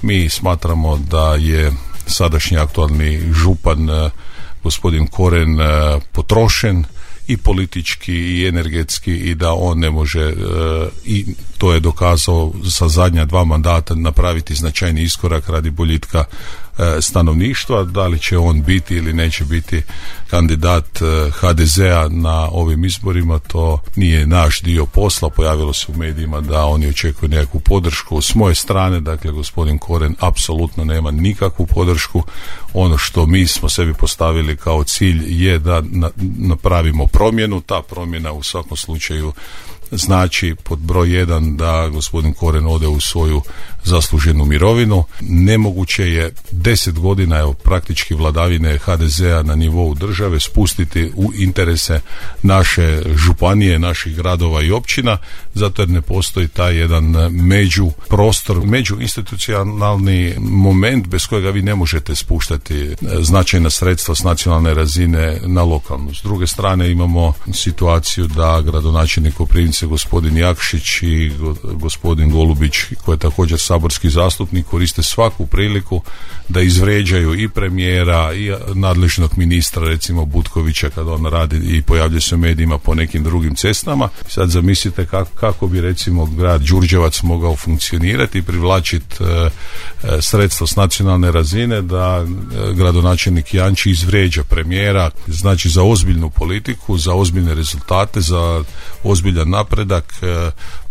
Mi smatramo da je sadašnji aktualni župan gospodin Koren potrošen i politički i energetski i da on ne može i to je dokazao sa zadnja 2 mandata napraviti značajni iskorak radi boljitka stanovništva. Da li će on biti ili neće biti kandidat HDZ-a na ovim izborima, to nije naš dio posla. Pojavilo se u medijima da oni očekuju nekakvu podršku s moje strane. Dakle, gospodin Koren apsolutno nema nikakvu podršku. Ono što mi smo sebi postavili kao cilj je da napravimo promjenu. Ta promjena u svakom slučaju znači pod broj 1 da gospodin Koren ode u svoju zasluženu mirovinu. Nemoguće je 10 godina evo, praktički vladavine HDZ-a na nivou države spustiti u interese naše županije, naših gradova i općina, zato jer ne postoji taj jedan međuinstitucionalni moment bez kojega vi ne možete spuštati značajna sredstva s nacionalne razine na lokalnu. S druge strane imamo situaciju da gradonačelnik Koprivnice gospodin Jakšić i gospodin Golubić, koji je također saborski zastupnik, koriste svaku priliku da izvređaju i premijera i nadležnog ministra, recimo Butkovića, kada on radi i pojavlja se u medijima po nekim drugim cestama. Sad zamislite kako bi recimo grad Đurđevac mogao funkcionirati i privlačiti sredstva s nacionalne razine da gradonačelnik Janči izvređa premijera. Znači za ozbiljnu politiku, za ozbiljne rezultate, za ozbiljan napredak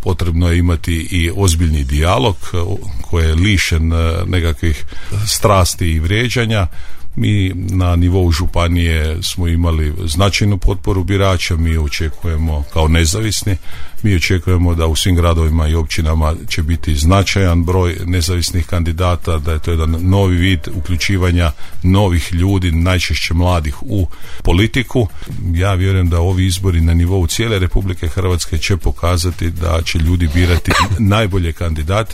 potrebno je imati i ozbiljni dijalog koji je lišen nekakvih strasti i vrijeđanja. Mi na nivou županije smo imali značajnu potporu birača, mi očekujemo kao nezavisni, mi očekujemo da u svim gradovima i općinama će biti značajan broj nezavisnih kandidata, da je to jedan novi vid uključivanja novih ljudi, najčešće mladih u politiku. Ja vjerujem da ovi izbori na nivou cijele Republike Hrvatske će pokazati da će ljudi birati najbolje kandidate.